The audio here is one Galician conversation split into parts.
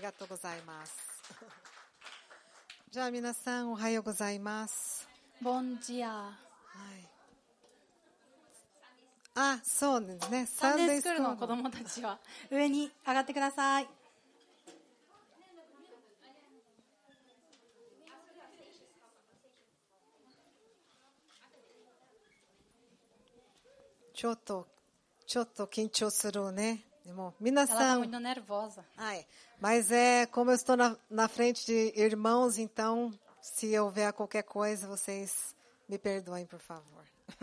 arigatou gozaimasu. じゃあ皆さんおはようございます。ボンジア。はい。あ、そうですね。サンデースクールの子供たちは上に上がってください。ちょっと緊張するね。でも皆 Ela tá さん muito nervosa. Ai, mas como eu estou na frente de irmãos, então, se houver qualquer coisa, vocês me perdoem, por favor.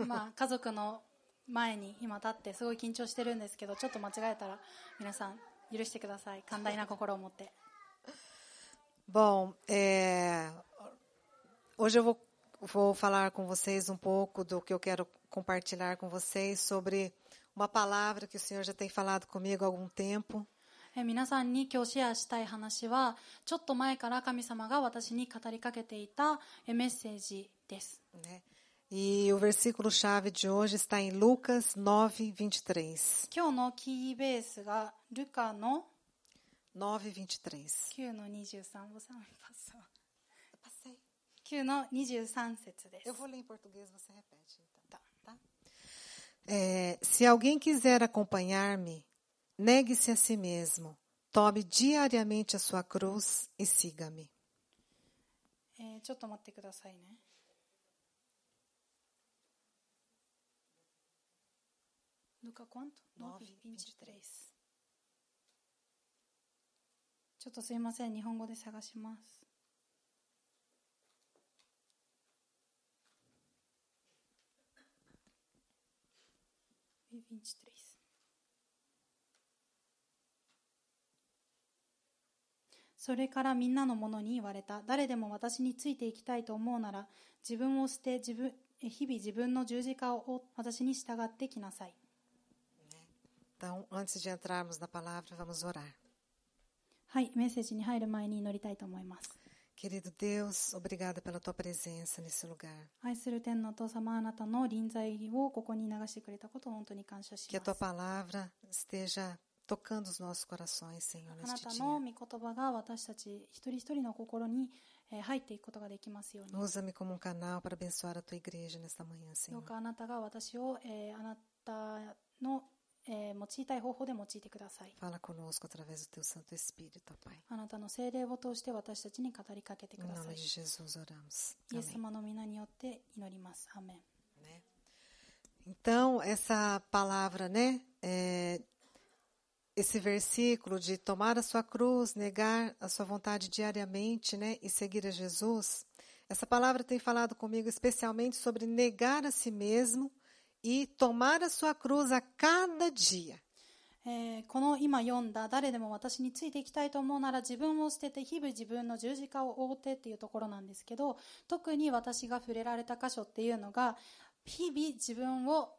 まあ家族の前に今立ってすごい緊張してるんですけど、ちょっと間違えたら皆さん許してください。寛大な心を持って。Bom, hoje eu vou falar com vocês um pouco do que eu quero compartilhar com vocês sobre uma palavra que o Senhor já tem falado comigo há algum tempo. 皆さんに今日シェアしたい話は、ちょっと前から神様が私に語りかけていたメッセージです。Né? E o versículo-chave de hoje está em Lucas 9:23. 今日のキーベースがルカの 9:23. 9の23. 9の23節です。 Eu vou ler em português, você repete, então. Tá? Se alguém quiser acompanhar-me, negue-se a si mesmo, tome diariamente a sua cruz e siga-me. ちょっと待ってくださいね。Luca quanto? 9:23. ちょっとすいません、日本語で探します。23. それからみんなの者に言われた。誰でも私についていきたいと思うなら、自分を捨て、日々自分の十字架を私に従ってきなさい。Então, antes de entrarmos na palavra, vamos orar. はい、メッセージに入る前に祈りたいと思います。Querido Deus, obrigada pela tua presença nesse lugar. 愛する天のお父様、あなたの臨在をここに流してくれたことを本当に感謝し Que a ま tua す。 palavra esteja tocando os nossos corações, Senhor, あな neste た dia. の御言葉が私たち一人一人の心に入っていくことができますように。 Usa-me como um canal para abençoar a tua igreja nesta manhã, ど Senhor. うかあなたが私をあなたの用いたい方法で用いてください。 Fala conosco através do teu Santo Espírito, ó Pai. あなたの聖霊を通して私たちに語りかけてく Em ださ nome い。 de Jesus oramos. イエス Amém. 様の皆によって祈ります。アーメン。 Né? Então, essa palavra, né? Esse versículo de tomar a sua cruz, negar a sua vontade diariamente, né? E seguir a Jesus. Essa palavra tem falado comigo especialmente sobre negar a si mesmo e tomar a sua cruz a cada dia. この今読んだ誰でも私についていきたいと思うなら自分を捨てて日々自分の十字架を追ってっていうところなんですけど、特に私が触れられた箇所っていうのが日々自分を、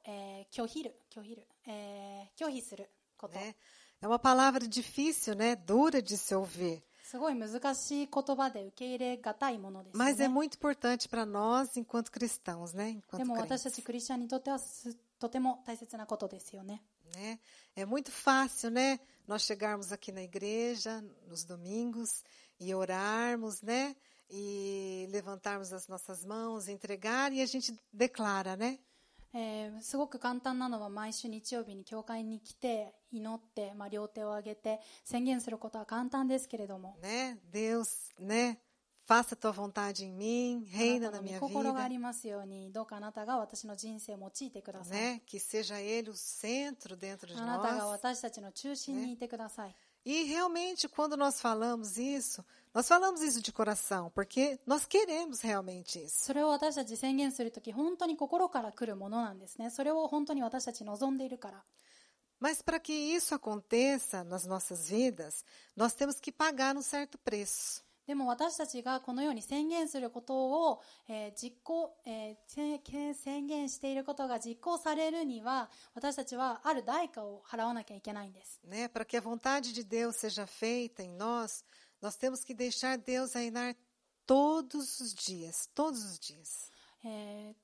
拒否すること、 Né? É uma palavra difícil, né? Dura de se ouvir. すごい難しい言葉で受け入れがたいものですよ Mas é ね。 muito importante para nós enquanto cristãos, né? で Enquanto も私た crentes. ちクリスチャンにとってはとても大切なことですよね。 Né? É muito fácil, né? Nós chegarmos aqui na igreja nos domingos e orarmos, né? E levantarmos as nossas mãos, entregar e a gente declara, né? すごく簡単なのは毎週日曜日に教会に来て祈って、両手を上げて宣言することは簡単ですけれども、 Né? Deus, né? Faça a tua vontade em mim, あ reina なた na の minha 御心があ vida, りますように、どうかあなたが私の人生を用いてください。 né? Que seja Ele o centro dentro de あなたが nós. 私たちの中心にいてください。 E realmente, quando nós falamos isso de coração, porque nós queremos realmente isso. それを私たち宣言するとき、本当に心から来るものなんですね。それを本当に私たち望んでいるから。 Mas para que isso aconteça nas nossas vidas, nós temos que pagar um certo preço. でも私たちがこのように宣言することを、宣言していることが実行されるには、私たちはある代価を払わなきゃいけないんです。 Né? Para que a vontade de Deus seja feita em nós, nós temos que deixar Deus reinar todos os dias, todos os dias.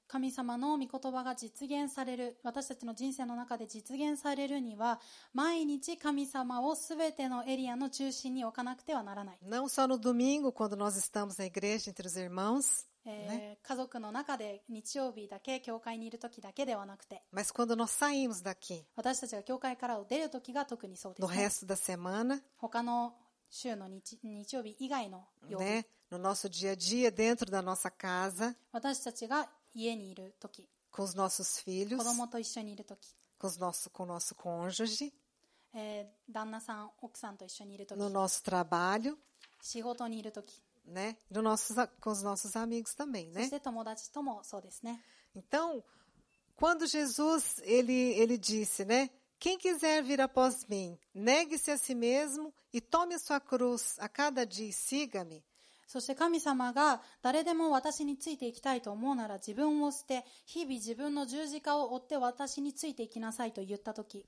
神様の御言葉が実現される、私たちの人生の中で実現されるには、毎日神様をすべてのエリアの中心に置かなくてはならない。Não só no domingo, quando nós estamos na igreja entre os irmãos, né? 家族の中で日曜日だけ教会にいる時だけではなくて、 Mas quando nós saímos daqui, 私たちが教会から出る時が特にそうで no すね。 resto da semana, 他の週の日曜日以外の曜日、 né? No nosso dia a dia, dentro da nossa casa, 私たちが家にいる時、 com os nossos filhos, 子供と一緒にいる時、 com o nosso cônjuge, 旦那さん奥さんと一緒にいる時、 no nosso trabalho, 仕事にいる時、 né? Com os nossos amigos também, そ né? して友達ともそうですね。 Então, quando Jesus, ele disse, né? Quem quiser vir após mim, negue-se a si mesmo e tome a sua cruz a cada dia e siga-me. そして神様が誰でも私についていきたいと思うなら自分を捨て、日々自分の十字架を追って私についていきなさいと言ったとき、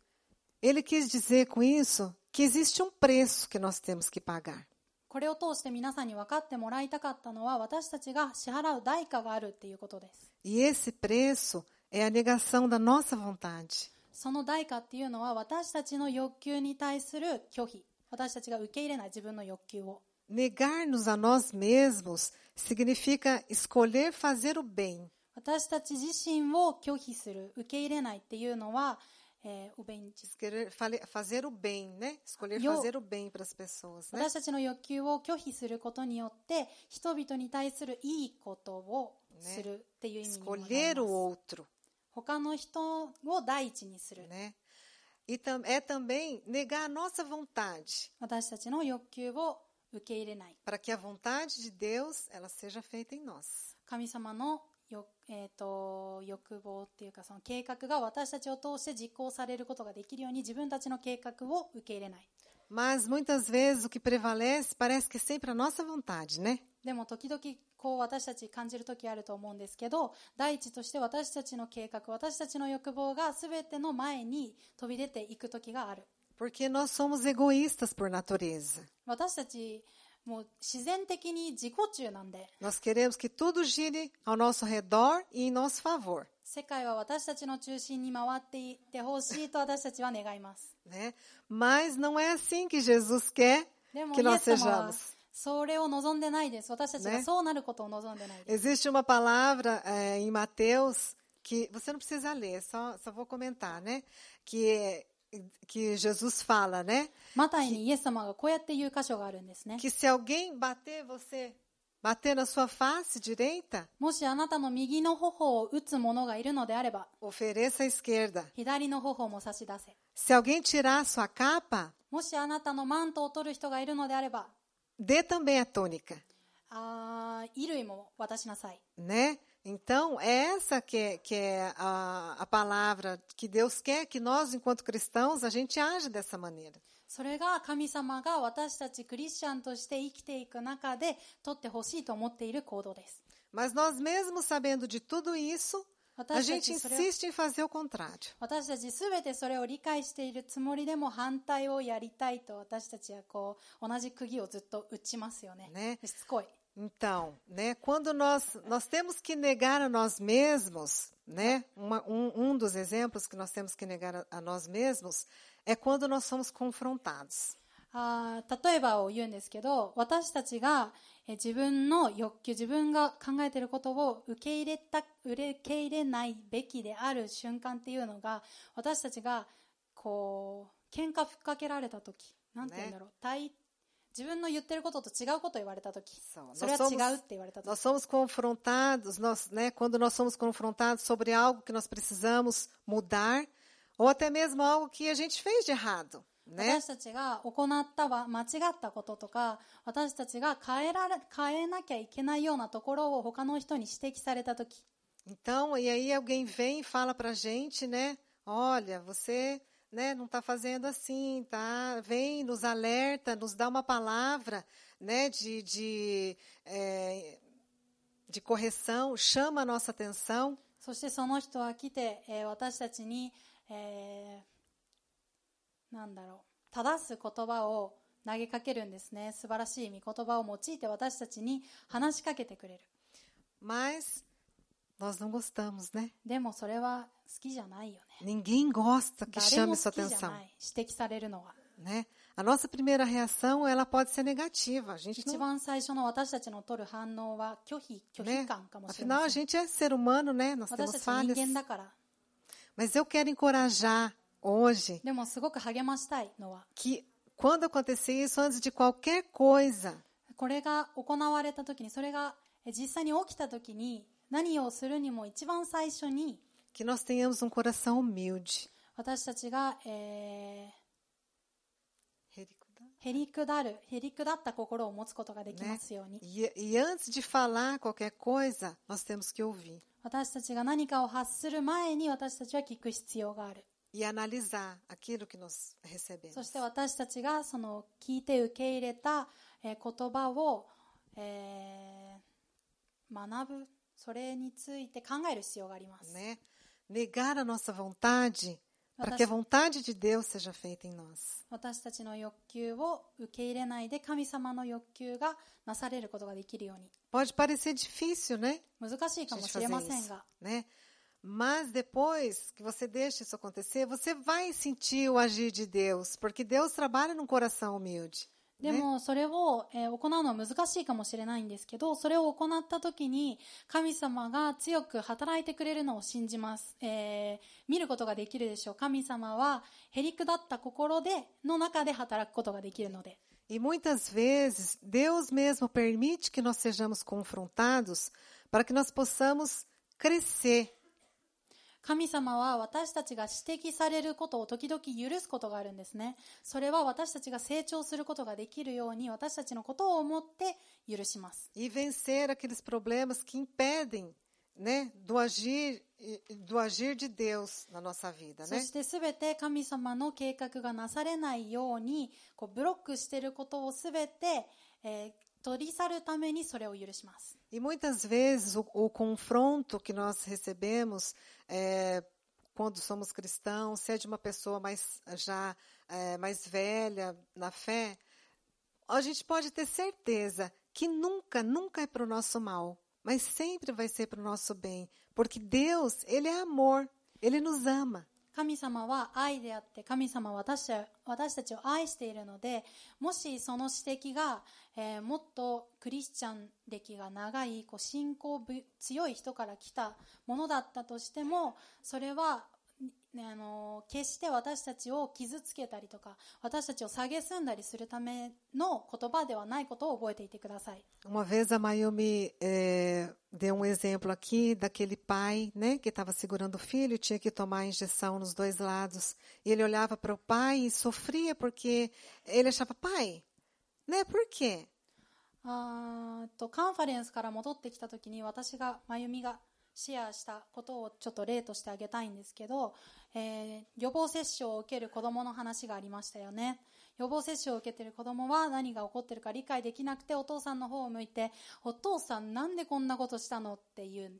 Ele quis dizer com isso que existe um preço que nós temos que pagar. これを通して皆さんに分かってもらいたかったのは、私たちが支払う代価があるっていうことです。 E esse preço é a negação da nossa vontade. その代価っていうのは私たちの欲求に対する拒否、私たちが受け入れない自分の欲求を。 Negar-nos a nós mesmos significa escolher fazer o bem. 私たち自身を拒否する、受け入れないっていうのは、Escolher fazer o bem, né? Escolher fazer o bem para as pessoas, né? 私たちの欲求を拒否することによって人々に対するいいことをするっていう意味にもなります。 Escolher o outro, 他の人を第一にする。 né? E é também negar a nossa vontade, 私たちの欲求を受け入れない。 para que a vontade de Deus ela seja feita em nós. 神様の欲望っていうかその計画が私たちを通して実行されることができるように自分たちの計画を受け入れない。 Mas muitas vezes o que prevalece parece que é sempre a nossa vontade, né? でも時々こう私たち感じる時あると思うんですけど、第一として私たちの計画、私たちの欲望が全ての前に飛び出ていく時がある。 Porque nós somos egoístas por natureza. 私たちもう自然的に自己中なんで、 Nós queremos que tudo gire ao nosso redor e em nosso favor, 世界は私たちの中心に回っていってほしいと私たちは願います。 né? Mas não é assim que Jesus quer でも que イ nós エス様は sejamos. それを望んでないです。私たちがそうなることを望んでないです。 Existe uma palavra em Mateus que você não precisa ler, só vou comentar, né? Que Jesus fala, né? マタイにイエス様がこうやって言う箇所があるんですね。 Que se alguém bater na sua face direita, もしあなたの右の頬を打つ者がいるのであれば、 ofereça a esquerda. 左の頬も差し出せ。 Se alguém tirar a sua capa, もしあなたのマントを取る人がいるのであれば、 dê também a túnica, 衣類も渡しなさい。 né? Então, é essa que é a palavra que Deus quer que nós, enquanto cristãos, a gente age dessa maneira. それが神様が私たちクリスチャンとして生きていく中で取ってほしいと思っている行動です。 Mas nós mesmos sabendo de tudo isso, a gente insiste em fazer o contrário. 私たちすべてそれを理解しているつもりでも反対をやりたいと私たちはこう同じ釘をずっと打ちますよね。ね。しつこい。 Então, né, quando nós temos que negar a nós mesmos, né, dos exemplos que nós temos que negar a nós mesmos é quando nós somos confrontados. 例えばを言うんですけど、私たちが自分の欲求、自分が考えていることを受け入れないべきである瞬間っていうのが、私たちがこう喧嘩ふっかけられたとき、なんて言うんだろう、自分の言ってることと違うことを言われたとき、それは違うって言われたとき。Nós somos confrontados, né, quando nós somos confrontados sobre algo que nós precisamos mudar, ou até mesmo algo que a gente fez de errado. 私たちが行った間違ったこととか、私たちが変えなきゃいけないようなところを他の人に指摘されたとき。Então, e aí alguém vem e fala pra gente, né? Olha, você, né, não está fazendo assim, tá? Vem, nos alerta, nos dá uma palavra, né, de correção, chama a nossa atenção. そしてその人は来て、私たちに、正す言葉を投げかけるんですね。素晴らしい御言葉を用いて私たちに話しかけてくれる。Mas Nós não gostamos, né? でもそれは好きじゃないよね。 Ninguém gosta que 誰も chame 好 sua きじゃ atenção, ない。指摘されるのは。 né? A nossa primeira reação, ela pode ser negativa. A gente 一 não, 番最初の私たちの取る反応は拒否 né? 感かもしれま Afinal, a せん。 gente é ser humano, né? Nós 私 temos たち人 falhas. 間だから。 Mas eu quero encorajar hoje でもすごく励ましたいのは、 que quando acontecer isso, antes de qualquer coisa, これが行われた時に、それが実際に起きた時に、何をするにも一番最初に、 que nós tenhamos um coração humilde. 私たちが、へりくだった心を持つことができますように。 E antes de falar qualquer coisa, nós temos que ouvir 私たちが何かを発する前に私たちは聞く必要がある。 e analisar aquilo que nós そ recebemos. して私たちがその聞いて受け入れた言葉を学ぶ、それについて考える必要があります。 Né? Negar a nossa vontade para que a vontade de Deus seja feita em nós. 私たちの欲求を受け入れないで神様の欲求がなされることができるように。 Pode parecer difícil, né? 難しいか A も gente しれ fazer ません isso, が、 né? Mas depois que você deixa isso acontecer, você vai sentir o agir de Deus, porque Deus trabalha num coração humilde. でもそれを行うのは難しいかもしれないんですけど、それを行った時に神様が強く働いてくれるのを信じます。見ることができるでしょう。神様はへりくだった心の中で働くことができるので。 E muitas vezes, Deus mesmo permite que nós sejamos confrontados para que nós possamos crescer. 神様は私たちが指摘されることを時々許すことがあるんですね。それは私たちが成長することができるように私たちのことを思って許します。 E vencer aqueles problemas que impedem, né, do agir de Deus na nossa vida, そ né? してすべて神様の計画がなされないようにブロックしていることをすべて、取り去るためにそれを許します。 E muitas vezes o confronto que nós recebemos quando somos cristãos, se é de uma pessoa mais velha na fé, a gente pode ter certeza que nunca é para o nosso mal, mas sempre vai ser para o nosso bem, porque Deus, Ele é amor, Ele nos ama. 神様は愛であって神様は私たちを愛しているので、もしその指摘が、もっとクリスチャン歴が長い信仰強い人から来たものだったとしても、それは決して私たちを傷つけたりとか私たちを蔑んだりするための言葉ではないことを覚えていてください。 Uma vez a Mayumi deu um exemplo aqui daquele pai, né, que estava segurando o filho e tinha que tomar a injeção nos dois lados. E ele olhava para o pai e sofria porque ele achava, pai, né, por quê? カンファレンスから戻ってきた時に私がまゆみがシェアしたことをちょっと例としてあげたいんですけど、予防接種を受ける子どもの話がありましたよね。予防接種を受けている子どもは何が起こっているか理解できなくてお父さんの方を向いて、お父さんなんでこんなことしたのっていう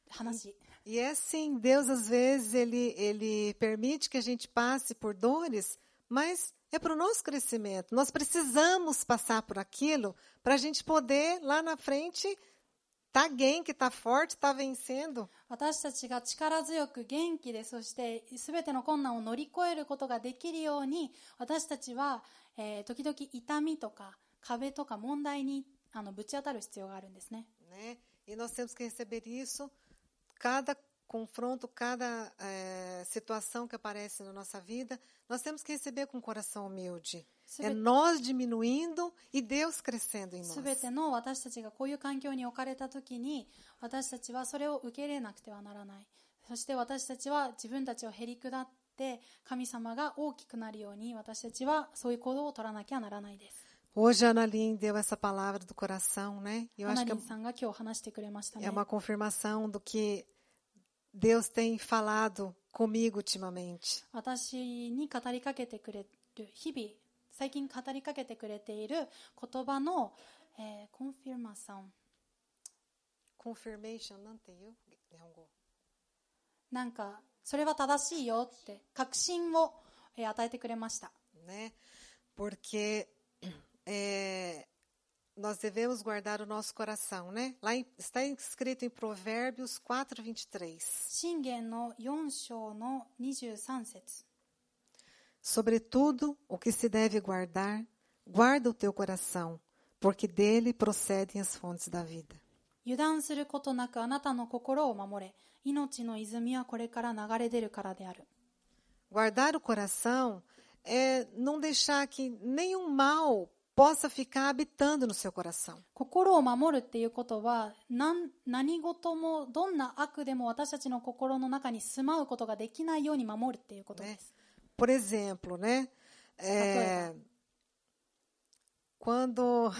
話。 E é assim, Deus às vezes ele permite que a gente passe por dores, mas é para o nosso crescimento. Nós precisamos passar por aquilo para a gente poder lá na frente tá元気、tá forte, tá vencendo. 私たちが力強く元気で、そして全ての困難を乗り越えることができるように、私たちは、時々痛みとか壁とか問題にぶち当たる必要があるんですね。 Né? E nós temos que receber isso, cada confronto, cada situação que aparece na nossa vida, nós temos que receber com um coração humilde. É nós diminuindo e Deus crescendo em nós. すべての私たちがこういう環境に置かれたときに、私たちはそれを受け入れなくてはならない。そして私たちは自分たちをへり下って、神様が大きくなるように、私たちはそういう行動を取らなきゃならないです。 Hoje a Ana Lin deu essa palavra do coração, né? Eu アナ acho リ que ンさんが今日話してくれましたね。 é uma confirmação do que Deus tem falado comigo ultimamente. 私に語りかけてくれる、日々、最近語りかけてくれている言葉の、コンフィルマション。 Confirmation, não tem eu? 日本語。なんか、それは正しいよって、確信を、与えてくれました。 Né? Porque nós devemos guardar o nosso coração, né? Está escrito em Provérbios 4:23. 箴言の4章の23節。 Sobretudo, o que se deve guardar, guarda o teu coração, porque dele procedem as fontes da vida. 油断することなくあなたの心を守れ。命の泉はこれから流れ出るからである。 Guardar o coração é não deixar que nenhum mal possa ficar habitando no seu coração. 心を守るっていうことは何事もどんな悪でも私たちの心の中に住まうことができないように守るっていうことです。 Por exemplo, né? Quando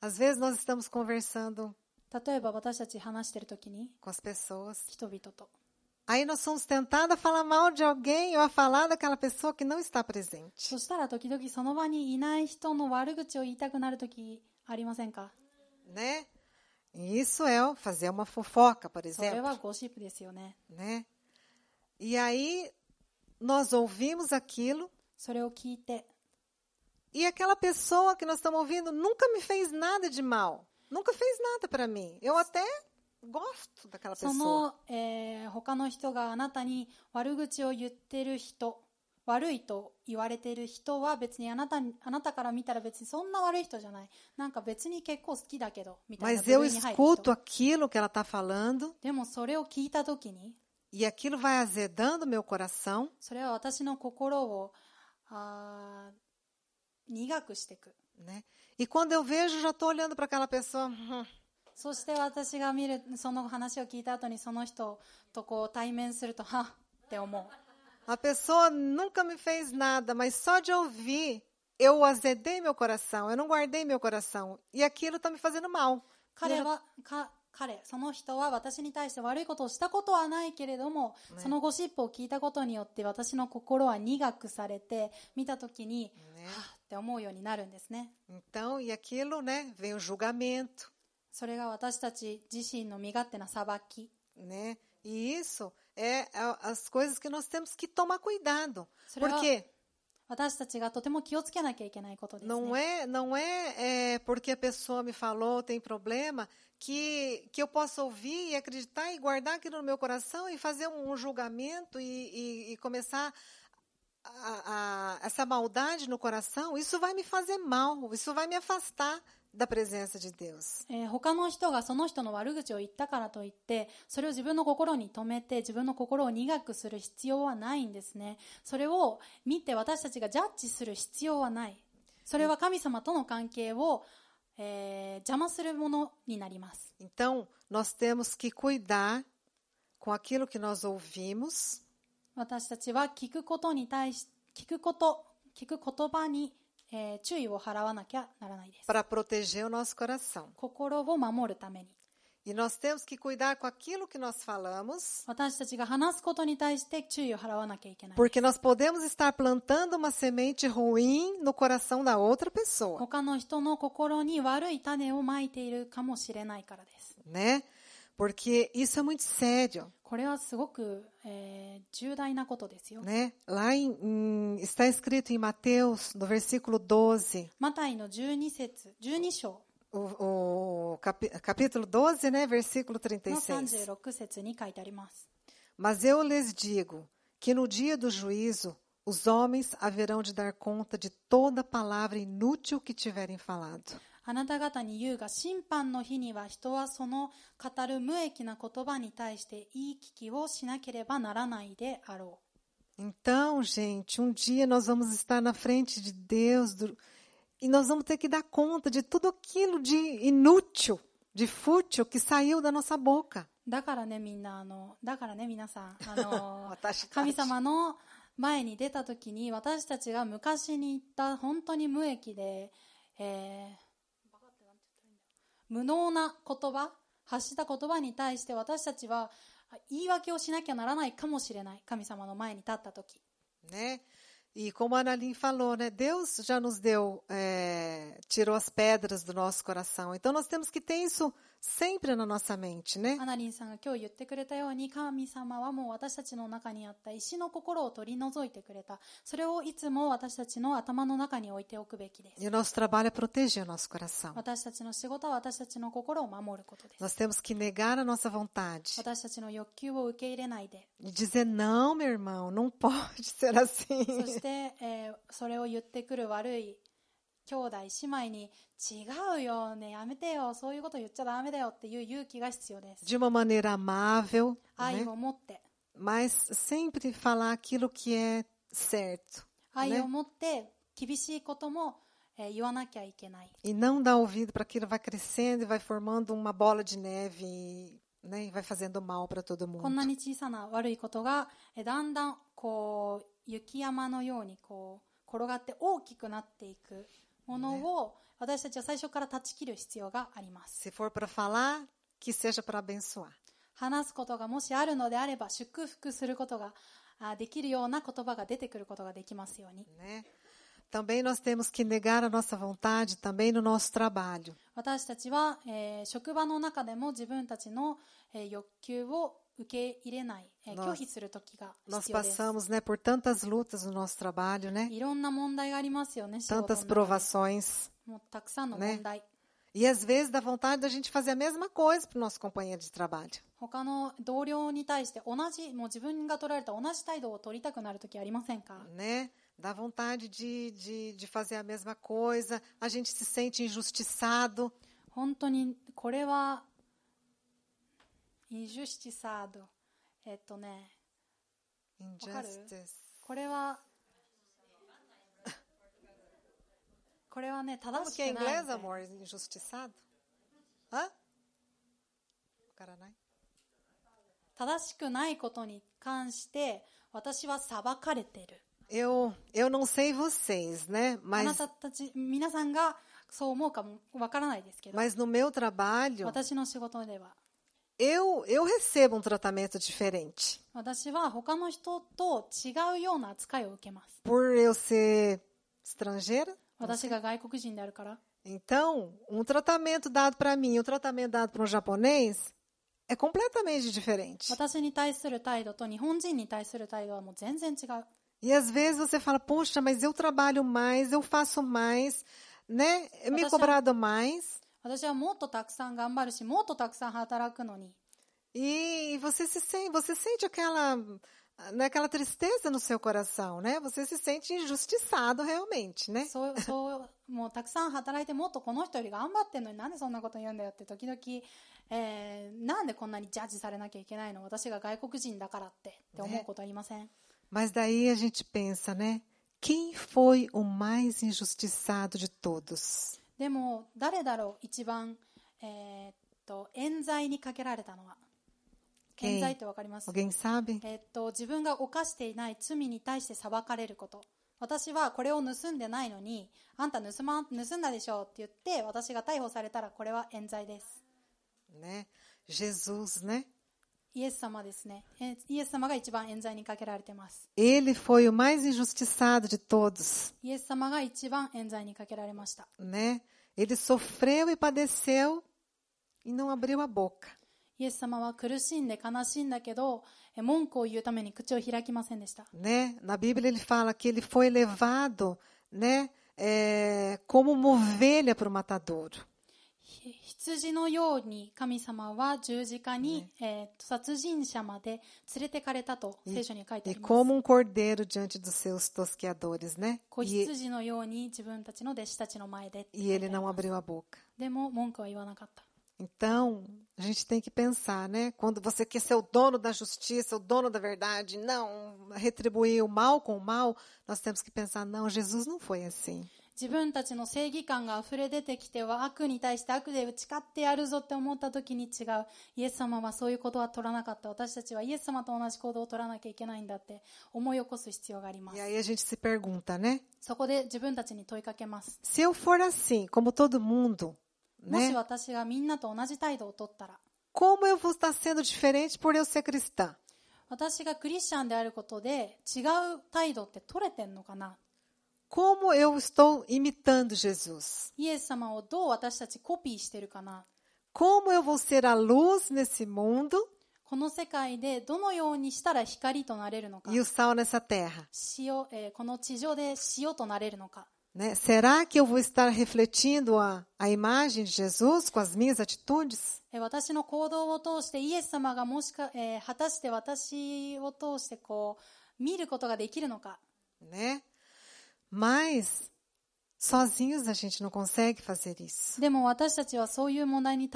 às vezes nós estamos conversando 例えば私たち話しているときに com as pessoas, 人々と aí nós somos tentados a falar mal de alguém ou a falar daquela pessoa que não está presente. そしたら時々その場にいない人の悪口を言いたくなるときありませんか？ Né? E isso é fazer uma fofoca, por それ exemplo. はゴシップですよね。 Né? E aí nós ouvimos aquilo それを聞いて e aquela pessoa que nós estamos ouvindo nunca me fez nada de mal. Nunca fez nada para mim. Eu até gosto daquela そ pessoa. の、他の人があなたに悪口を言ってる人、悪いと言われている人は別にあなたから見たら別にそんな悪い人じゃない。なんか別に結構好きだけどみたいな Mas 部 eu 類に入る escuto 人。 aquilo que ela está falando でもそれを聞いたときに、 e aquilo vai azedando meu coração. それは私の心を苦くしていく。 Né? E quando eu vejo, já estou olhando para aquela pessoa. そして私が見るその話を聞いた後にその人とこう対面するとはっって思う。 A pessoa nunca me fez nada, mas só de ouvir, eu azedei meu coração, eu não guardei meu coração. E aquilo está me fazendo mal. その人は私に対して悪いことをしたことはないけれども、そのゴシップを聞いたことによって私の心は苦くされて、見たときに、はっって思うようになるんですね。 Então, e aquilo, né, vem o julgamento. それが私たち自身の身勝手な裁き。 Né? E isso é as coisas que nós temos que tomar cuidado. それは Porque 私たちがとても気をつけなきゃいけないことですね。 não é porque a pessoa me falou, tem problema, que eu posso ouvir e acreditar e guardar aquilo no meu coração e fazer um julgamento e começar essa maldade no coração. Isso vai me fazer mal, isso vai me afastar da presença de Deus. 他の人がその人の悪口を言ったからといってそれを自分の心に留めて自分の心を苦くする必要はないんですね。それを見て私たちがジャッジする必要はない。それは神様との関係を、邪魔するものになります。 Então, nós temos que cuidar com aquilo que nós ouvimos. 私たちは聞くことに対し聞く言葉に注意を払わなきゃならないです。 Para proteger o nosso coração. 心を守るために。 E nós temos que cuidar com aquilo que nós falamos, 私たちが話すことに対して注意を払わなきゃいけない。 porque nós podemos estar plantando uma semente ruim no coração da outra pessoa, 他の人の心に悪い種をまいているかもしれないからです。 né? Porque isso é muito sério, これはすごく、重大なことですよ。 né? Lá está escrito em Mateus, no versículo 12, マタイの12章 capítulo 12, né? Versículo の 36. 36節に書いてあります。 Mas eu lhes digo que no dia do juízo os homens haverão de dar conta de toda palavra inútil que tiverem falado. あなた方に言うが、審判の日には人はその語る無益な言葉に対して言い聞きをしなければならないであろう。 Então, gente, um dia nós vamos estar na frente de Deus e nós vamos ter que dar conta de tudo aquilo de inútil, de fútil que saiu da nossa boca. だからね皆さん私たち神様の前に出たときに私たちが昔に言った本当に無益で、無能な言葉発した言葉に対して私たちは言い訳をしなきゃならないかもしれない。神様の前に立ったとき。 Né? E como a Analim falou, né, Deus já nos deu, tirou as pedras do nosso coração. Então nós temos que ter isso sempre na nossa mente, né? アナリンさんが今日言ってくれたように、神様はもう私たちの中にあった石の心を取り除いてくれた。それをいつも私たちの頭の中に置いておくべきです。 E o nosso trabalho é proteger o nosso coração. 私たちの仕事は私たちの心を守ることです。 Nós temos que negar a nossa vontade 私たちの欲求を受け入れないで、 e dizer, não, meu irmão, não pode ser assim. そして、それを言ってくる悪い兄弟姉妹に、違うよね、やめてよ、そういうこと言っちゃダメだよっていう勇気が必要です。 De uma maneira amável, 愛 né? を持って、 Mas sempre falar aquilo que é certo, 愛 né? を持って厳しいことも、言わなきゃいけない。 E não dar ouvido para aquilo, vai crescendo e vai formando uma bola de neve, né? E vai fazendo mal para todo こんな mundo. に小さな悪いことが、だんだんこう雪山のようにこう転がって大きくなっていくものを、私たちは最初から断ち切る必要があります。 Se for para falar, que seja para abençoar. 話すことがもしあるのであれば、祝福することができるような言葉が出てくることができますように。 Né? Também nós temos que negar a nossa vontade também no nosso trabalho. 私たちは、職場の中でも自分たちの、欲求を受け入れない、拒否する時が Nós 必要です。 passamos, né, por tantas lutas no nosso trabalho, né? いろんな問題がありますよね、仕事の Tantas 中で。 provações. もうたくさんの問題。 E às vezes dá vontade da gente fazer a mesma coisa para o nosso companheiro de trabalho. 他の同僚に対してもう自分が取られた同じ態度を取りたくなる時ありませんか？ Né? Dá vontade de fazer a mesma coisa, a gente se sente injustiçado. 本当にこれはインジュスティサード。Injustice. これはね、 Como 正し que é く em ない inglês, みたい。 amor? Injustiçado? Hã? Caranai? 正しくないことに関して私は裁かれてる。 Eu não sei vocês, né? あな Mas, たたち皆さんがそう思うかもわからないですけど、 mas no meu trabalho, 私の仕事では eu recebo um tratamento diferente. 私は他の人と違うような扱いを受けます。 Por eu ser estrangeira. 私が外国人であるから。 Então, um tratamento dado para mim e um tratamento dado para um japonês é completamente diferente. 私に対する態度と日本人に対する態度はもう全然違う。 E às vezes você fala, poxa, mas eu trabalho mais, eu faço mais, né? É me cobrado mais. 私はもっとたくさん頑張るし、もっとたくさん働くのに。 E você sente aquela tristeza no seu coração, né? Você se sente injustiçado realmente, né? もうたくさん働いてもっとこの人より頑張ってんのになんでそんなこと言うんだよって時々、なんでこんなにジャッジされなきゃいけないの、私が外国人だからって思うことありません？ Mas daí a gente pensa, né? Quem foi o mais injustiçado de todos? でも誰だろう一番、冤罪にかけられたのは。冤罪ってわかります？ Alguém sabe? 自分が犯していない罪に対して裁かれること。私はこれを盗んでないのに、あんた盗んだでしょって言って私が逮捕されたらこれは冤罪です。 Né? Jesus, né? イエス様ですね。イエス様が一番冤罪にかけられています。 Ele foi o mais injustiçado de todos, イエス様が一番冤罪にかけられました。 né? Ele sofreu e padeceu e não abriu a boca. イエス様は苦しんで悲しんだけど、文句を言うために口を開きませんでした。 Né? Na Bíblia ele fala que ele foi levado, né? Como uma ovelha para o matadouro. 羊のように神様は十字架に、殺人者まで連れてかれたと聖書に書いてあ E ります。 como um cordeiro diante dos seus tosqueadores, né? 子羊のように自分たちの弟子たちの前でって書 E いてあ ele り não ます。 abriu a boca. でも文句は言わなかった。 Então, a gente tem que pensar, né? Quando você quer ser o dono da justiça, o dono da verdade, não retribuir o mal com o mal, nós temos que pensar, não, Jesus não foi assim. 自分たちの正義感が溢れ出てきては悪に対して悪で打ち勝ってやるぞって思った時に違う。イエス様はそういうことは取らなかった。私たちはイエス様と同じ行動を取らなきゃいけないんだって思い起こす必要がありま E す。 aí a gente se pergunta, né? そこで自分たちに問いかけます。 Se eu for assim, como todo mundo, もし né? 私がみんなと同じ態度を取ったら、 Como eu vou estar sendo diferente por eu ser cristã? 私がクリスチャンであることで違う態度って取れてんのかな。 Como eu estou imitando Jesus? イエス様をどう私たちコピーしてるかな。 Como eu vou ser a luz nesse mundo この世界でどのようにしたら光となれるのか、 e o sal nessa terra? この地上で塩となれるのか。 Né? Será que eu vou estar refletindo a imagem de Jesus com as minhas atitudes? 私の行動を通してイエス様が果たして私を通して見ることができるのか。 Né? Mas sozinhos a gente não consegue fazer isso. でも私たちはそういう問題に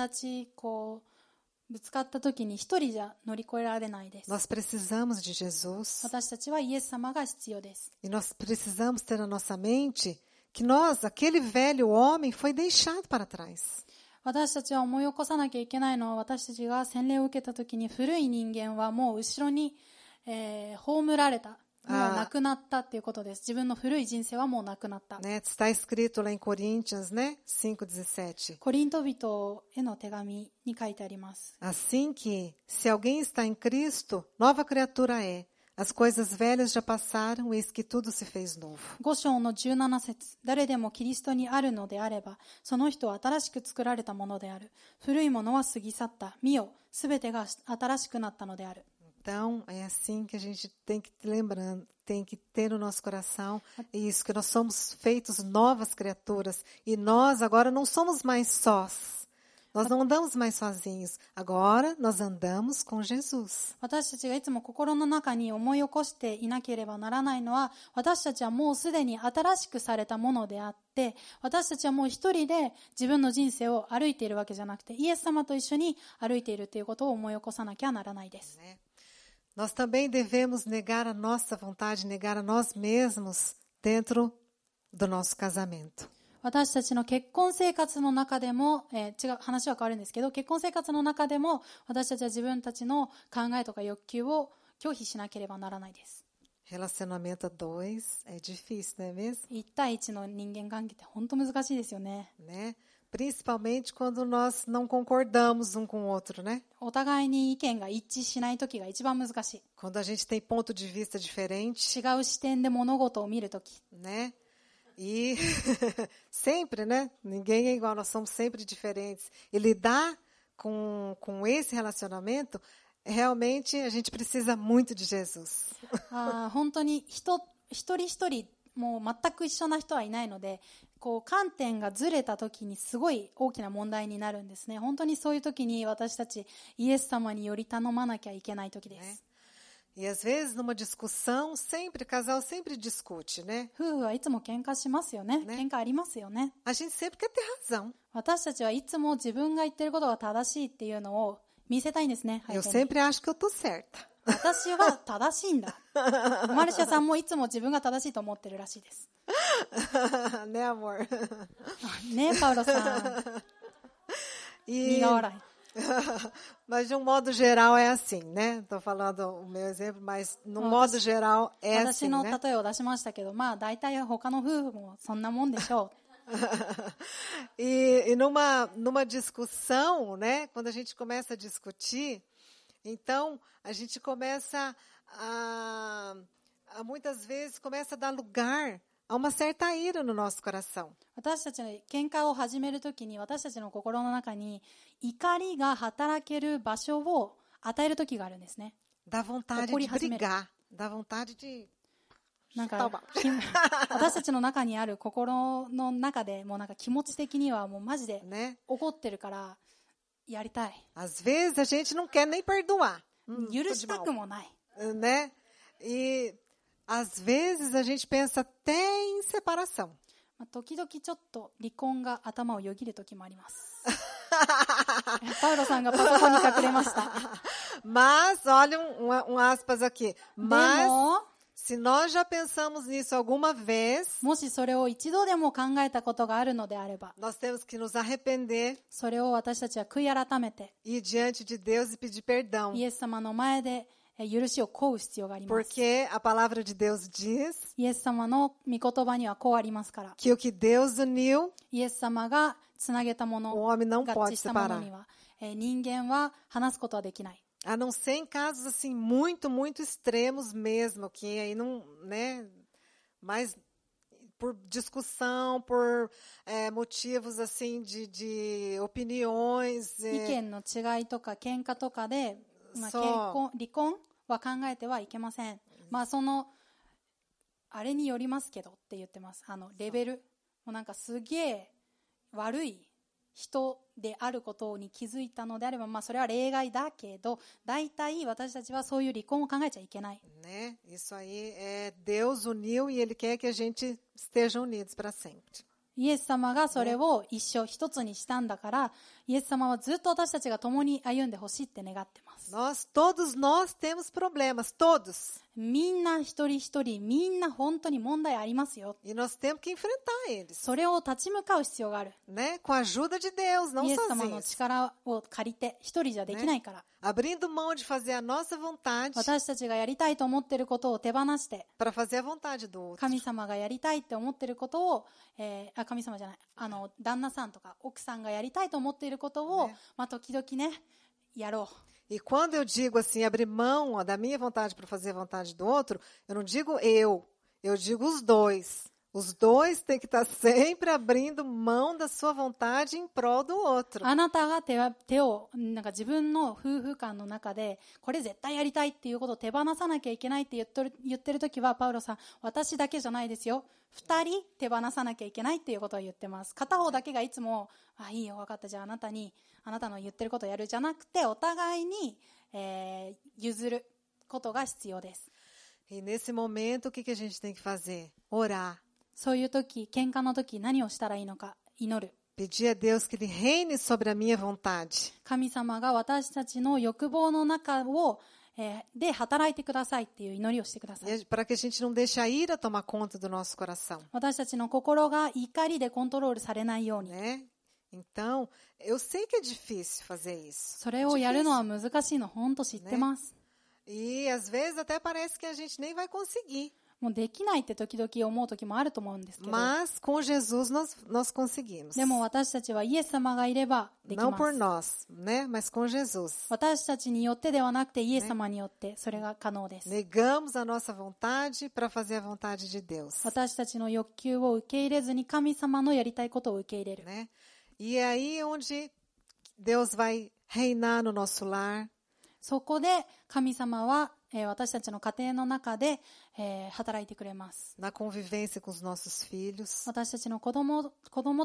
ぶつかった時に一人じゃ乗り越えられないです。 Nós precisamos de Jesus 私たちはイエス様が必要です。 e nós precisamos ter na nossa mente que nós, aquele velho homem, foi deixado para trás. 私たちは思い起こさなきゃいけないのは、私たちが洗礼を受けた時に古い人間はもう後ろに、葬られた。もうなくなったっていうことです。自分の古い人生はもうなくなった。 Né? Está escrito lá em Coríntios, né? 5:17. コリント人への手紙に書いてあります。 Assim que, se alguém está em Cristo, nova criatura é. As coisas velhas já passaram, eis que tudo se fez novo. 5章の17節、誰でもキリストにあるのであれば、その人は新しく作られたものである。古いものは過ぎ去った。見よ、すべてが新しくなったのである。 Então, é assim que a gente tem que lembrando, tem que ter no nosso coração isso, que nós somos feitos novas criaturas e nós agora não somos mais sós. Nós não andamos mais sozinhos. Agora nós andamos com Jesus. 私たちがいつも心の中に思い起こしていなければならないのは、私たちはもうすでに新しくされたものであって、私たちはもう一人で自分の人生を歩いているわけじゃなくて、イエス様と一緒に歩いているということを思い起こさなきゃならないです。 Nós também devemos negar a nossa vontade, negar a nós mesmos dentro do nosso casamento. 私たちの結婚生活の中でも、話は変わるんですけど、結婚生活の中でも私たちは自分たちの考えとか欲求を拒否しなければならないです。 Relacionamento a dois é difícil, não é mesmo? 1対1の人間関係って本当難しいですよね。 Né? Principalmente quando nós não concordamos um com o outro, né? お互いに意見が一致しないときが一番難しい。 Quando a gente tem ponto de vista diferente, 違う視点で物事を見るとき。 né? E sempre, né? Ninguém é igual, nós somos sempre diferentes. E lidar com esse relacionamento, realmente a gente precisa muito de Jesus. 本当に一人一人もう全く一緒な人はいないので、観点がずれたときにすごい大きな問題になるんですね。本当にそういうときに私たちイエス様により頼まなきゃいけないときです。 E às vezes numa discussão, casal sempre discute, né? 夫婦はいつも喧嘩しますよね。喧嘩ありますよね。 A gente sempre quer ter razão. 私たちはいつも自分が言ってることが正しいっていうのを見せたいんですね。 Eu sempre acho que eu tô certa. 私は正しいんだ。マルシアさんもいつも自分が正しいと思ってるらしいです。Né, amor? ねえ、パウロさん。苦笑い。 Mas de um modo geral é assim, né? Estou falando o meu exemplo, mas no modo geral é assim, 私の né? 例えを出しましたけど、まあ大体他の夫婦もそんなもんでしょう。E numa discussão, né? Quando a gente começa a discutir, então a gente começa a muitas vezes começa a dar lugar a uma certa ira no nosso coração. 私たちの喧嘩を始めるときに、私たちの心の中に怒りが働ける場所を与えるときがあるんですね。 Dá vontade de brigar, dá vontade de なんか私たちの中にある心の中でもうなんか気持ち的にはもうマジで怒ってるからやりたい。 Às vezes a gente não quer nem perdoar. 許したくもない。 Né? E às vezes a gente pensa até em separação. 時々ちょっと離婚が頭をよぎる時もあります。パウロさんがパソコンに隠れました。 Mas, olha aspas aqui. Mas, se nós já pensamos nisso alguma vez, もしそれを一度でも考えたことがあるのであれば、 nós temos que nos arrepender, それを私たちは悔い改めて、 ir diante de Deus e pedir perdão. イエス様の前で許しを請う必要があります。 Porque a palavra de Deus diz イエス様の御言葉にはこうありますから。 que o que Deus uniu, イエス様がつなげたもの、 o homem não 合 pode 致したもの separar. には、人間は話すことはできない。A não ser em casos assim muito, muito extremos mesmo, que aí não, né, mas por discussão, por motivos assim de opiniões, 意見の違いとか喧嘩とかで、離婚は考えてはいけません。あれによりますけどって言ってます。レベル。もうなんかすげえ悪い人であることに気づいたのであれば、それは例外だけど、大体私たちはそういう離婚を考えちゃいけない。né? Isso aí Deus uniu e Ele quer que a gente esteja unidos para sempre. イエス様がそれを一つにしたんだから、イエス様はずっと私たちが共に歩んでほしいって願ってます。Todos nós temos problemas, todos. みんな一人一人、みんな本当に問題ありますよ。E nós temos que enfrentar eles. それを立ち向かう必要がある。Né? Com a ajuda de Deus, não イエス様の sozinhos. 力を借りて、一人じゃできないから。Abrindo mão de fazer a nossa vontade 私たちがやりたいと思っていることを手放して、para fazer a vontade do outro. 神様がやりたいって思っていることを、神様じゃない、旦那さんとか奥さんがやりたいと思っていることを、時々ね、やろう。E quando eu digo assim, abrir mão da minha vontade para fazer a vontade do outro, eu não digo eu digo os dois. Os dois têm que estar sempre abrindo mão da sua vontade em prol do outro. あなたが手をなんか自分の夫婦間の中でこれ絶対やりたいっていうことを手放さなきゃいけないって言ってるときは、パウロさん、私だけじゃないですよ。2人手放さなきゃいけないっていうことを言ってます。片方だけがいつもいいよ分かった、じゃああなたの言ってることをやるじゃなくて、お互いに、譲ることが必要です。E nesse momento, o que a gente tem que fazer? Orar. そういう時、喧嘩の時、何をしたらいいのか、祈る。Pedir a Deus que Ele reine sobre a minha vontade. 神様が私たちの欲望の中を、で働いてくださいっていう祈りをしてください。Para que a gente não deixe a ira tomar conta do nosso coração. 私たちの心が怒りでコントロールされないように。Né? Então, eu sei que é difícil fazer isso. それをやるのは難しいの、本当知ってます。E às vezes até parece que a gente nem vai conseguir. もうできないって時々思う時もあると思うんですけど。Mas com Jesus nós conseguimos. でも私たちはイエス様がいればできます。Não por nós, né? Mas com Jesus. 私たちによってではなくてイエス様によってそれが可能です。Negamos a nossa vontade para fazer a vontade de Deus. 私たちの欲求を受け入れずに神様のやりたいことを受け入れる。Né? E é aí onde Deus vai reinar no nosso lar. そこで神様は私たちの家庭の中で働いてくれます。Na convivência com os nossos filhos. 私たちの子供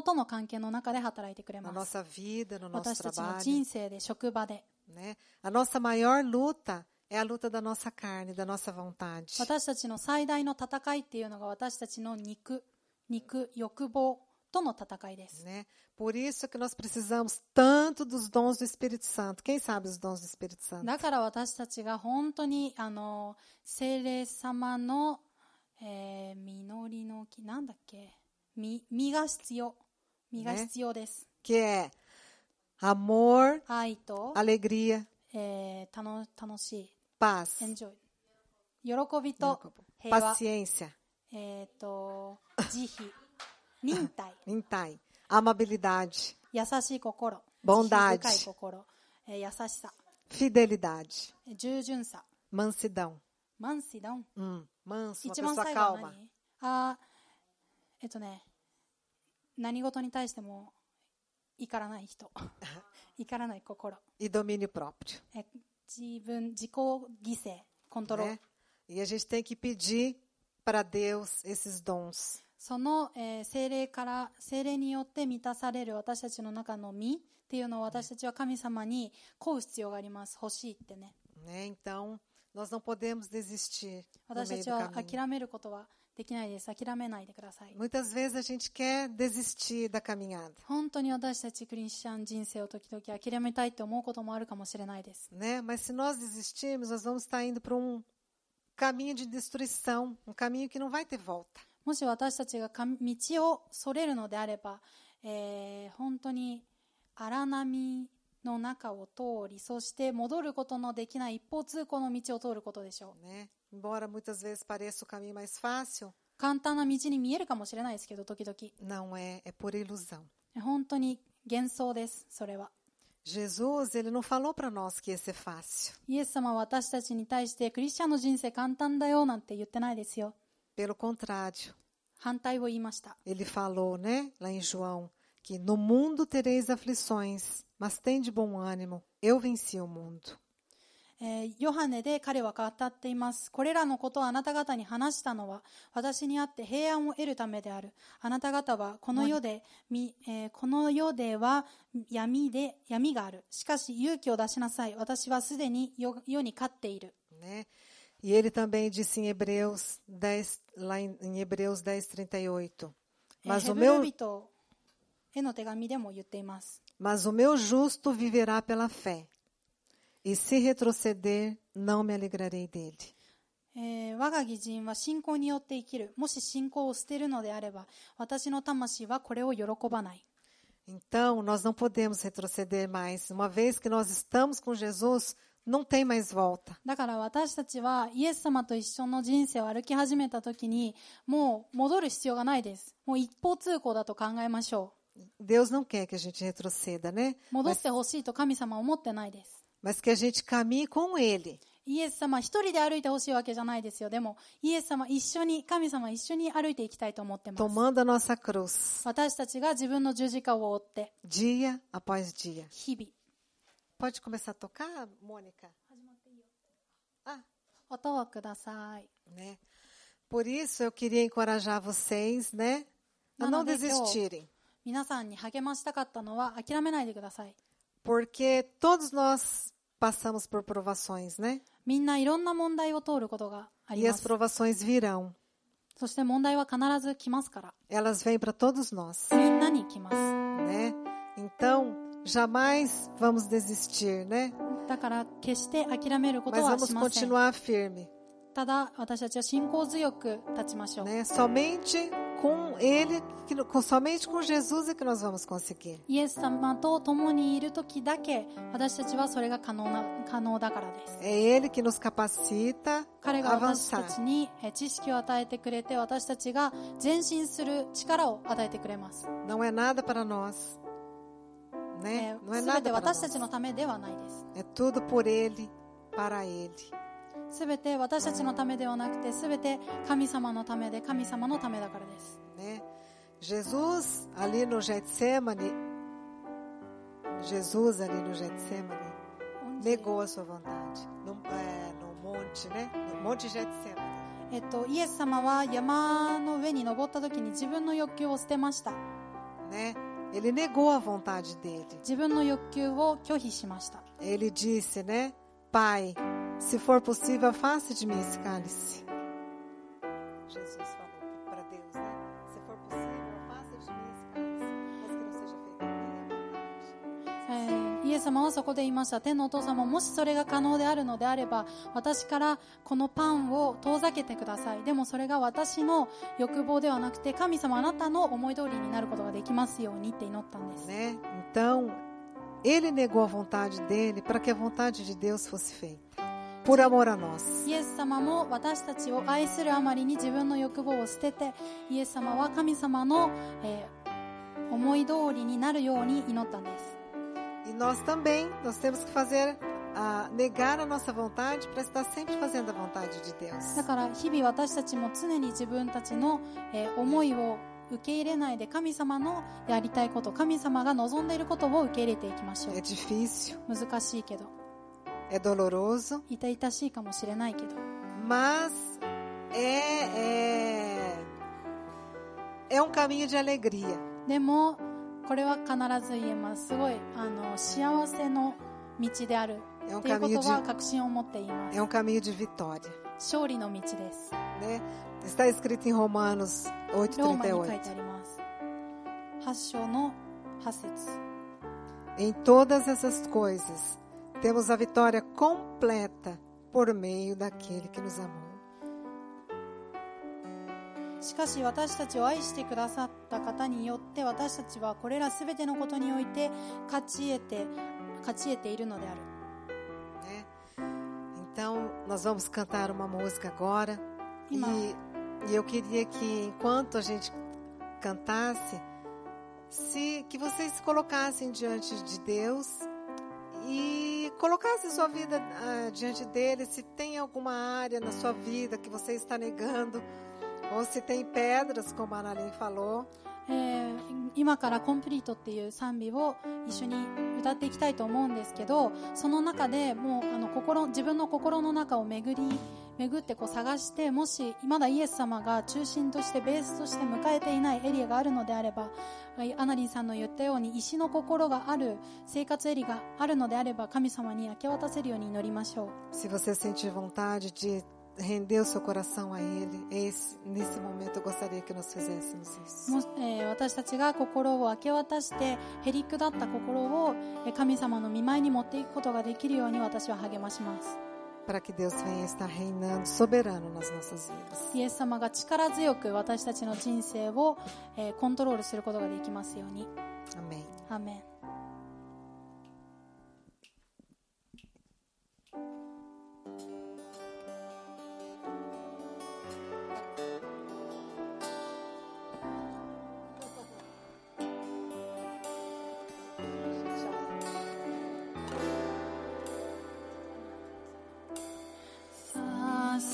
との関係の中で働いてくれます。Na nossa vida, no nosso 私たちの trabalho. 人生で、職場で。Né? A nossa maior luta é a luta da nossa carne, da nossa vontade. 私たちの最大の戦いっていうのが私たちの欲望との戦いです。Né? Por isso que nós precisamos tanto dos dons do Espírito Santo. Quem sabe os dons do Espírito Santo? だから私たちが本当に聖霊様の、実りの木なんだっけ、実が必要です。Que é amor, 愛と alegria, 楽しい paz, enjoy 喜びと平和 paciência, 慈悲忍耐 amabilidade, 優しい心 bondade, 深い心、優しさ fidelidade, 従順さ mansidão. マンシダン Manso, uma 一番 pessoa 最後は calma. 何何事に対しても怒らない人怒らない心 E domínio próprio. 自己犠牲コントロール、Né? E a gente tem que pedir para Deus esses dons. その、聖霊によって満たされる私たちの中の実っていうのを私たちは神様に請う必要があります。欲しいってね。Né? Então, nós não podemos desistir no 私た meio ち do は caminho. 諦めることはできないです。諦めないでください。 Muitas vezes a gente quer desistir da caminhada. 本当に私たちクリスチャン人生を時々諦めたいって思うこともあるかもしれないです。Né? Mas se nós desistirmos, nós vamos estar indo para caminho de destruição, caminho que não vai ter volta. もし私たちが道をそれるのであれば、本当に荒波の中を通り、そして戻ることのできない一方通行の道を通ることでしょう。Né? Embora muitas vezes pareça o caminho mais fácil, 簡単な道に見えるかもしれないですけど、時々。não é, é por ilusão. 本当に幻想です、それは。Jesus, ele não falou para nós que ia ser fácil. イエス様は私たちに対してクリスチャンの人生簡単だよなんて言ってないですよ。 Pelo contrário, 反対を言いました。 ele falou, né, lá em João, que no mundo tereis aflições, mas tende bom ânimo, eu venci o mundo. ヨハネで彼は語っています。これらのことをあなた方に話したのは私にあって平安を得るためである。あなた方はこの世では闇がある。しかし勇気を出しなさい。私はすでに世に勝っている。 Né? E ele também disse em Hebreus 10, lá em Hebreus 10:38. ヘブル人への手紙でも言っています。 Mas o meu justo viverá pela fé. E se retroceder, não me alegrarei dele. 我が義人は信仰によって生きる。もし信仰を捨てるのであれば、私の魂はこれを喜ばない。 Então, nós não podemos retroceder mais. Uma vez que nós estamos com Jesus, não tem mais volta. だから私たちはイエス様と一緒の人生を歩き始めたときに、もう戻る必要がないです。もう一方通行だと考えましょ Deus não quer que a gente retroceda, né? う。戻ってほしいと神様は思ってないです。 Mas que a gente caminhe com Ele. イエス様一人で歩いてほしいわけじゃないですよ。でも、イエス様一緒に、神様一緒に歩いていきたいと思ってます。 Tomando a nossa cruz, 私たちが自分の十字架を追って、 dia após dia. 日々、 Pode começar a tocar, Mônica? Ah, 音をください。 né? Por isso eu queria encorajar vocês, né? A não desistirem. 皆さんに励ましたかったのは諦めないでください。 Porque todos nós passamos por provações, né? みんないろんな問題を通ることがあり E ま as す。 provações virão. そして問題は必ず来ますから。 Elas vêm para todos nós, みんなに来ます。 né? Então, jamais vamos desistir, né? だから決して諦めること Mas は vamos しません。 continuar firme, ただ私たちは信仰強く立ちましょう。 né? Somente com Ele, somente com Jesus é que nós vamos conseguir. イエス様と共にいる時だけ私たちはそれが可能だからです。 É Ele que nos capacita 彼 a が私た avançar. ちに知識を与えてくれて私たちが前進する力を与えてくれます。 Não é nada para nós, né? Não é すべ nada て para 私た nós. ちのためではないです。 É tudo por Ele, para Ele. すべて私たちのためではなくてすべて神様のためで神様のためだからです。 Né? Jesus ali no Getsemane, negou a sua vontade. No monte, né? No monte Getsemane. イエス様は山の上に登った時に自分の欲求を捨てました。 Né? Ele negou a vontade dele. 自分の欲求を拒否しました。 Ele disse, né? Pai, se for possível, afaste de mim esse cálice. Jesus falou para Deus, né? Se for possível, afasta de mim esse cálice, mas que não seja feita a minha vontade. イエス様はそこで言いました。天のお父様、もしそれが可能であるのであれば、私からこのパンを遠ざけてください。でもそれが私の欲望ではなくて、神様あなたの思い通りになることができますようにって祈ったんです。 Né? Então, ele negou a vontade dele para que a vontade de Deus fosse feita, por amor a nós. イエス様も私たちを愛するあまりに自分の欲望を捨てて、イエス様は神様の、思い通りになるように祈ったんです。 E nós também, nós temos que fazer, negar a nossa vontade para estar sempre fazendo a vontade de Deus. だから日々私たちも常に自分たちの、思いを受け入れないで神様のやりたいこと、神様が望んでいることを受け入れていきましょう。 É difícil, 難しいけど、 é doloroso, 痛々しいかもしれないけど、 mas é um caminho de alegria. でもこれは必ず言えます。すごい幸せの道であるっていうことは確信を持って言います。 É um caminho de vitória. 勝利の道です。 Né? Está escrito em Romanos ローマに書い 8:38. てあります。8章の8節。 Em todas essas coisas, temos a vitória completa por meio daquele que nos amou. しかし私たちを愛してくださった方によって私たちはこれらすべてのことにおいて勝ち得ているのである。 Né? Então, nós vamos cantar uma música agora. E eu queria que, enquanto a gente cantasse, que vocês se colocassem diante de Deus e colocasse sua vida diante dele, se tem alguma área na sua vida que você está negando, ou se tem pedras, como a Analim falou. 今からコンプリートっていう賛美を一緒に歌っていきたいと思うんですけど、その中でもう自分の心の中を巡ってこう探して、もしまだイエス様が中心としてベースとして迎えていないエリアがあるのであれば、アナリンさんの言ったように石の心がある生活エリアがあるのであれば、神様に明け渡せるように祈りましょう。 Se você sentir vontade de render o seu coração a Ele, nesse momento eu gostaria que nós fizéssemos isso. 私たちが心を明け渡してへりくだった心を神様の御前に持っていくことができるように私は励まします。 Para que Deus venha estar reinando soberano nas nossas vidas. イエス様が力強く私たちの人生をコントロールすることができますように。 Amém. アーメン。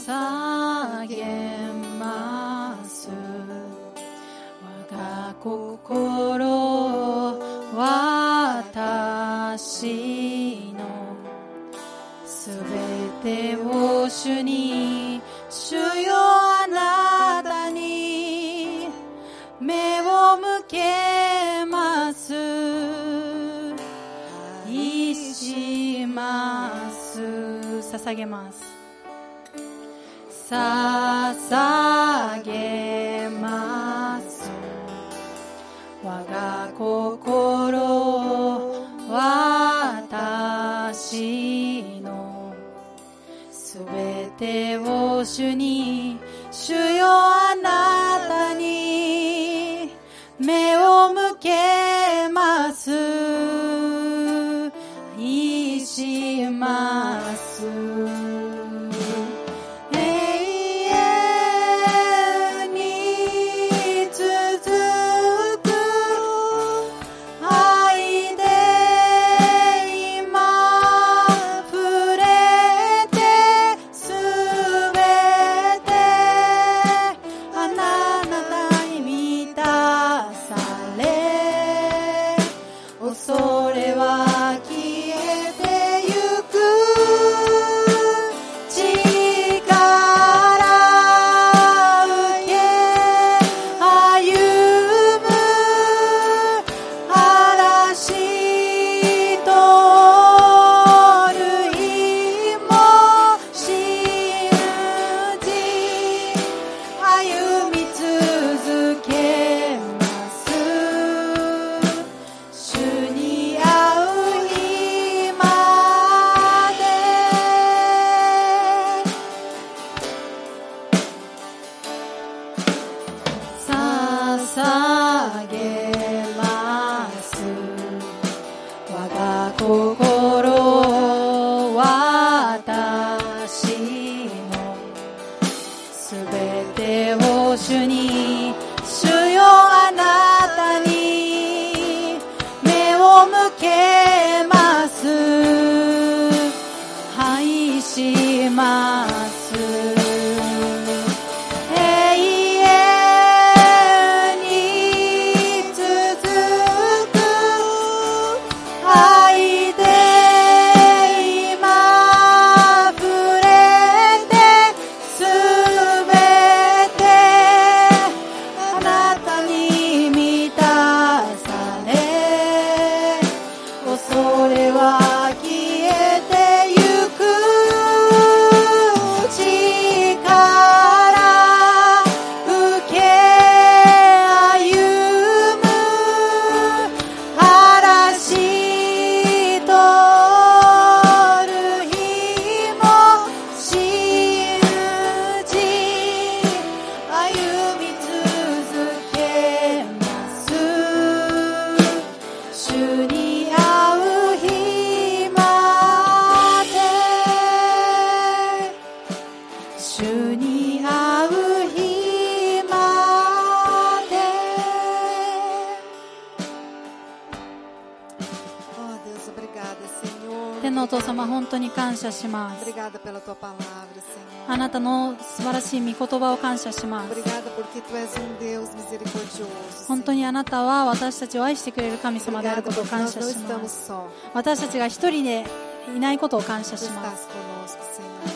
捧げます我が心、私のすべてを主に、主よあなたに目を向けます。愛します。捧げます。捧げます我が心、私のすべてを主に、主よあなたに目を向けます。愛します。Deus, obrigada, Senhor, 天のお父様、本当に感謝します。 Obrigada pela tua palavra, Senhor. あなたの素晴らしい御言葉を感謝します。 Obrigada porque tu és Deus misericordioso. 本当にあなたは私たちを愛してくれる神様であることを感謝します。 私たちが一人でいないことを感謝します。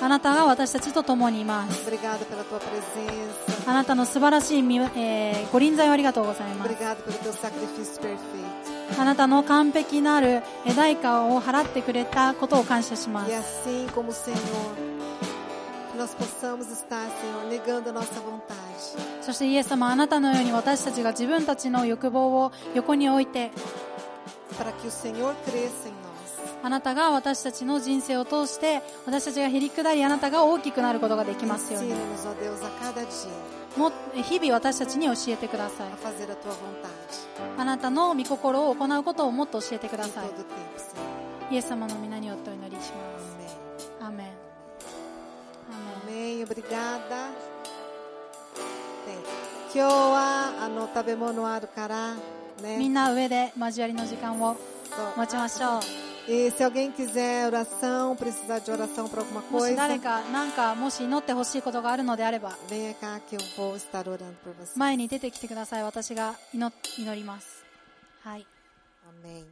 あなたが私たちと共にいます。 Obrigada pela tua presença. あなたの素晴らしいご臨在をありがとうございます。 Obrigada pelo teu sacrifício perfeito. あなたの完璧なる代価を払ってくれたことを感謝します。 E assim como o Senhor, que nós possamos estar, Senhor, negando a nossa vontade. そしてイエス様、あなたのように私たちが自分たちの欲望を横に置いて、 Para que o Senhor cresça em nós. あなたが私たちの人生を通して私たちがへり下り、あなたが大きくなることができますように。 Ensina-nos, ó Deus, a cada dia も日々私たちに教えてください。 a fazer a tua vontade. あなたの御心を行うことをもっと教えてくだ Em さい。 todo o tempo, Senhor. イエス様の皆によってお祈りします。 Amém. アーメン。アーメン。 Amém. Obrigada. Bem, 今日は食べ物あるからね。みんな上で交わりの時間を持ちましょう。 E se alguém quiser oração, precisar de oração para alguma もし coisa, 誰かもし祈ってほしいことがあるのであれば venha cá que eu vou estar orando por você. 前に出てきてください。私が祈ります。はい。 Amém.